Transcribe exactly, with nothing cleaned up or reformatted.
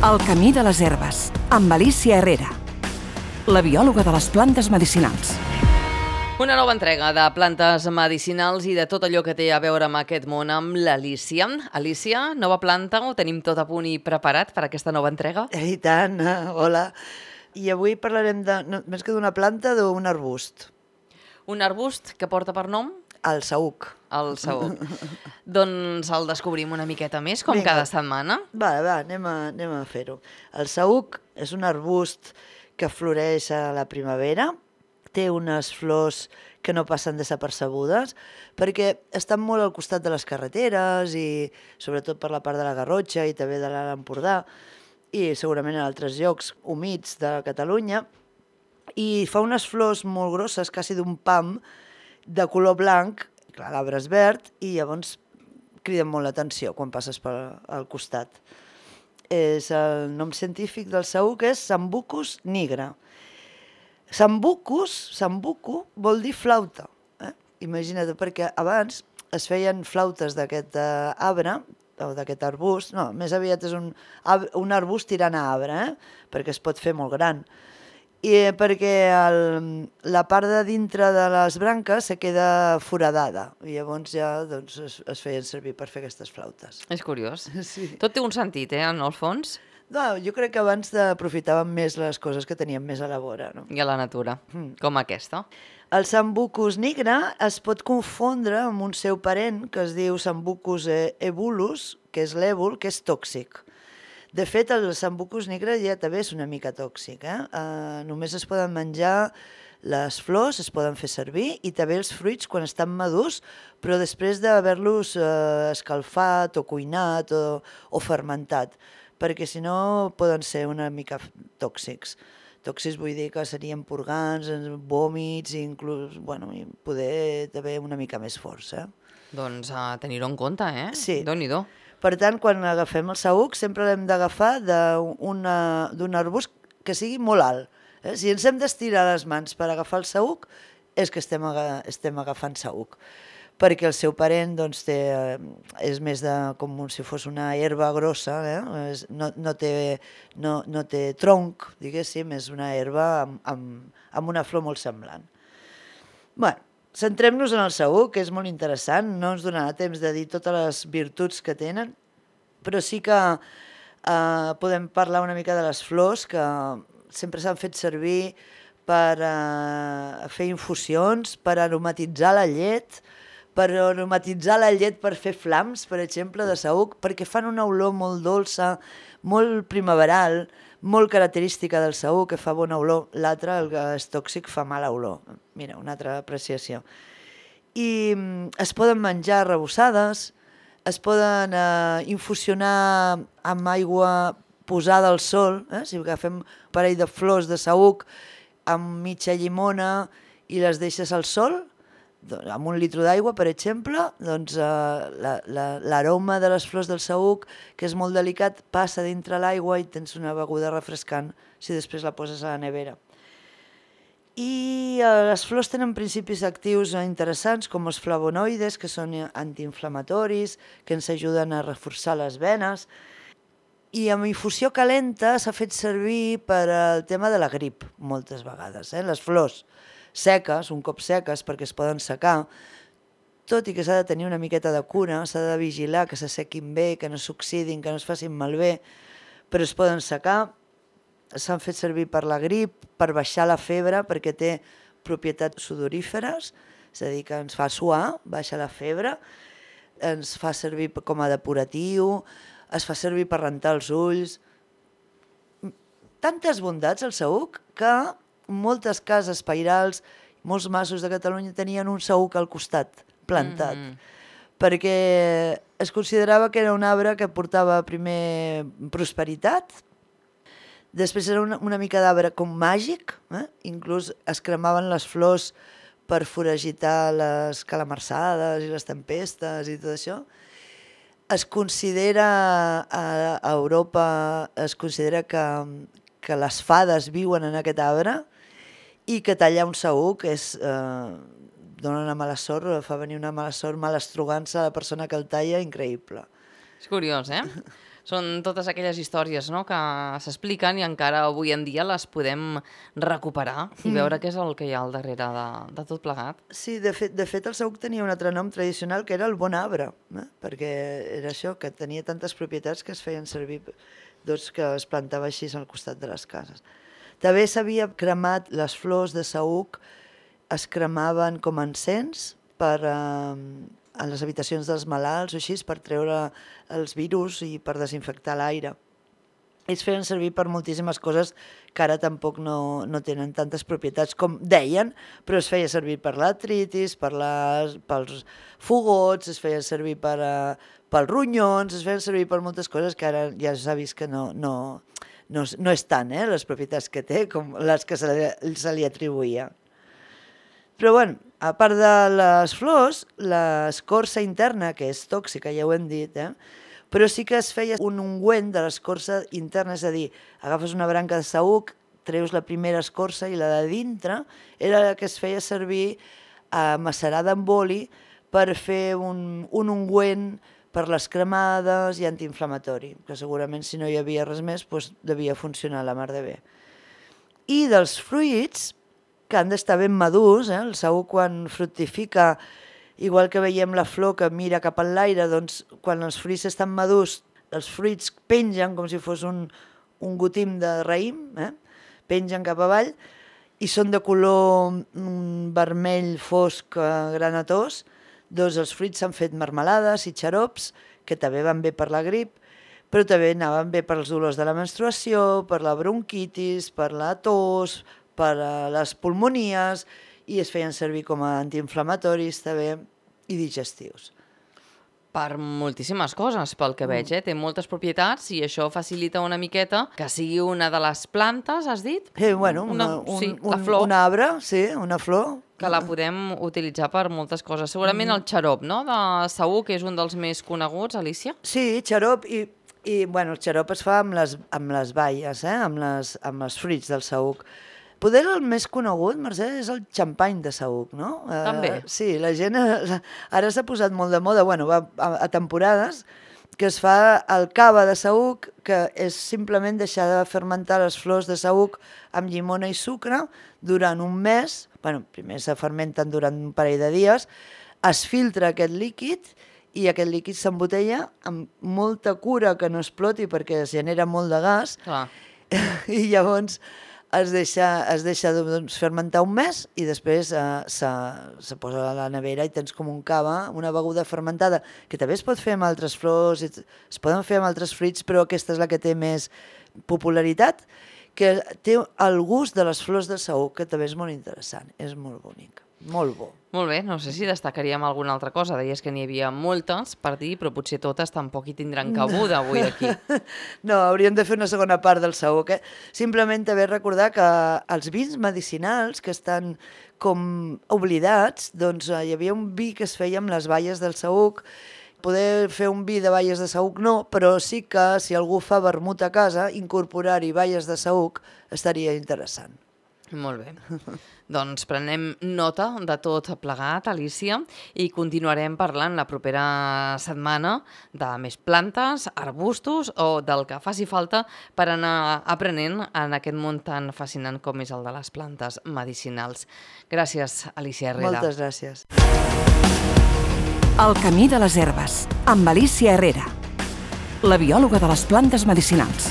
El camí de les herbes, amb Alicia Herrera, la biòloga de les plantes medicinals. Una nova entrega de plantes medicinals i de tot allò que té a veure amb aquest món amb l'Alicia. Alicia, nova planta, ho tenim tot a punt i preparat per aquesta nova entrega? I tant, hola. I avui parlarem de, no, més que d'una planta, d'un arbust. Un arbust que porta per nom? El saüc. El saüc. Doncs el descobrim una miqueta més, com Vinga. cada setmana. Va, va, anem a, anem a fer-ho. El saüc és un arbust que floreix a la primavera, té unes flors que no passen desapercebudes, perquè estan molt al costat de les carreteres i sobretot per la part de la Garrotxa i també de l'Alt Empordà i segurament en altres llocs humits de Catalunya, i fa unes flors molt grosses, quasi d'un pam, de color blanc, clar, l'arbre és verd, i llavors criden molt l'atenció quan passes pel costat. És el nom científic del saüc és Sambucus nigra. Sambucus, sambucu, vol dir flauta. Eh? Imagina't, perquè abans es feien flautes d'aquest uh, arbre, o d'aquest arbust, no, més aviat és un, un arbust tirant a arbre, eh? Perquè es pot fer molt gran. I perquè el, la part de dintre de les branques se queda foradada i llavors ja doncs, es, es feien servir per fer aquestes flautes. És curiós. Sí. Tot té un sentit, eh, en el fons. No, jo crec que abans aprofitàvem més les coses que teníem més a la vora. No? I a la natura, mm. com aquesta. El Sambucus nigra es pot confondre amb un seu parent que es diu Sambucus ebulus, que és l'èbol, que és tòxic. De fet, el Sambucus nigra ja també és una mica tòxic. Eh? Uh, només es poden menjar les flors, es poden fer servir, i també els fruits quan estan madurs, però després d'haver-los uh, escalfat o cuinat o, o fermentat, perquè si no poden ser una mica tòxics. Tòxics vull dir que serien purgants, vòmits, i inclús, bueno, i poder també una mica més forts. Eh? Doncs a tenir-ho en compte, eh? Sí. Déu-n'hi-do. Per tant, quan agafem el saüc, sempre l'hem d'agafar d'un arbust que sigui molt alt. Eh? Si ens hem d'estirar les mans per agafar el saüc, és que estem, aga estem agafant saüc. Perquè el seu parent doncs, té, és més de, com si fos una herba grossa, eh? és, no, no, té, no, no té tronc, diguéssim, és una herba amb, amb, amb una flor molt semblant. Bé, centrem-nos en el saüc, que és molt interessant, no ens donarà temps de dir totes les virtuts que tenen, però sí que eh, podem parlar una mica de les flors, que sempre s'han fet servir per eh, fer infusions, per aromatitzar la llet, per aromatitzar la llet per fer flams, per exemple, de saüc, perquè fan una olor molt dolça, molt primaveral, molt característica del saüc, que fa bona olor. L'altre, el que és tòxic, fa mala olor. Mira, una altra apreciació. I es poden menjar arrebossades, es poden eh, infusionar amb aigua posada al sol, eh? Si agafem un parell de flors de saüc amb mitja llimona i les deixes al sol, amb un litre d'aigua, per exemple, doncs eh, l'aroma de les flors del saüc, que és molt delicat, passa dintre l'aigua i tens una beguda refrescant si després la poses a la nevera. I eh, les flors tenen principis actius interessants, com els flavonoides, que són antiinflamatoris, que ens ajuden a reforçar les venes. I amb infusió calenta s'ha fet servir per al tema de la grip, moltes vegades, eh? Les flors seques, un cop seques, perquè es poden secar, tot i que s'ha de tenir una miqueta de cura, s'ha de vigilar que s'assequin bé, que no s'oxidin, que no es facin malbé, però es poden secar. S'han fet servir per la grip, per baixar la febre, perquè té propietats sudoríferes, és a dir, que ens fa suar, baixa la febre, ens fa servir com a depuratiu, es fa servir per rentar els ulls. Tantes bondats el saüc que moltes cases pairals, molts masos de Catalunya tenien un saüc al costat, plantat, mm-hmm. perquè es considerava que era un arbre que portava primer prosperitat, després era una, una mica d'arbre com màgic, eh? Inclús es cremaven les flors per foragitar les calamarsades i les tempestes i tot això. Es considera, a, a Europa, es considera que, que les fades viuen en aquest arbre, i que tallar un saüc és, eh, dona una mala sort, fa venir una mala sort, mala estrogança a la persona que el talla, increïble. És curiós, eh? Són totes aquelles històries, no?, que s'expliquen i encara avui en dia les podem recuperar i veure què és el que hi ha al darrere de, de tot plegat. Sí, de fet, de fet el saüc tenia un altre nom tradicional que era el bon arbre, eh? Perquè era això, que tenia tantes propietats que es feien servir, doncs, que es plantava així al costat de les cases. També s'havia cremat les flors de saüc, es cremaven com encens per... Eh, a les habitacions dels malalts o així, per treure els virus i per desinfectar l'aire. Ells feien servir per moltíssimes coses que ara tampoc no, no tenen tantes propietats com deien, però es feia servir per l'artritis, per les, pels fogots, es feia servir per, uh, pels ronyons, es feien servir per moltes coses que ara ja s'ha vist que no, no, no, no és tant, eh, les propietats que té com les que se li, se li atribuïa. Però, bueno, a part de les flors, l'escorça interna, que és tòxica, ja ho hem dit, eh? Però sí que es feia un ungüent de l'escorça interna, és a dir, agafes una branca de saüc, treus la primera escorça i la de dintre era la que es feia servir a macerada amb oli per fer un, un ungüent per les cremades i antiinflamatori, que segurament si no hi havia res més doncs devia funcionar la mar de bé. I dels fruits, que han d'estar ben madurs, eh? El saüc quan fructifica, igual que veiem la flor que mira cap a l'aire, doncs quan els fruits estan madurs, els fruits pengen com si fos un, un gotim de raïm, eh? Pengen cap avall i són de color mm, vermell fosc granatós, doncs els fruits s'han fet marmelades i xarops, que també van bé per la grip, però també anaven bé per als dolors de la menstruació, per la bronquitis, per la tos, per a les pulmonies, i es feien servir com a antiinflamatoris també i digestius. Per moltíssimes coses, pel que veig, eh? Té moltes propietats i això facilita una miqueta que sigui una de les plantes, has dit? Eh, bueno, una, una, un, sí, un, la flor. un arbre, sí, una flor. Que la podem utilitzar per moltes coses. Segurament el xarop, no?, de saüc, que és un dels més coneguts, Alicia? Sí, xarop, i, i bueno, el xarop es fa amb les, amb les baies, eh? amb, les, amb els fruits del saüc. Poder el més conegut, Mercè, és el xampany de saüc, no? També. Uh, sí, la gent ara s'ha posat molt de moda, bueno, va a, a temporades, que es fa el cava de saüc, que és simplement deixar de fermentar les flors de saüc amb llimona i sucre durant un mes, bueno, primer se fermenten durant un parell de dies, es filtra aquest líquid i aquest líquid s'embotella amb molta cura que no exploti perquè es genera molt de gas. Clar. I llavors es deixa, es deixa doncs, fermentar un mes i després eh, se, se posa a la nevera i tens com un cava, una beguda fermentada, que també es pot fer amb altres flors, es poden fer amb altres fruits, però aquesta és la que té més popularitat, que té el gust de les flors de saüc, que també és molt interessant, és molt bonic, molt bo. Molt bé, no sé si destacaríem alguna altra cosa. Deies que n'hi havia moltes per dir, però potser totes tampoc hi tindran cabuda avui aquí. No, hauríem de fer una segona part del saüc. Eh? Simplement també recordar que els vins medicinals que estan com oblidats, doncs hi havia un vi que es feia amb les baies del saüc. Poder fer un vi de baies de saüc no, però sí que si algú fa vermut a casa, incorporar-hi baies de saüc estaria interessant. Molt bé. Doncs prenem nota de tot plegat, Alicia, i continuarem parlant la propera setmana de més plantes, arbustos o del que faci falta per anar aprenent en aquest món tan fascinant com és el de les plantes medicinals. Gràcies, Alicia Herrera. Moltes gràcies. El camí de les herbes, amb Alicia Herrera, la biòloga de les plantes medicinals.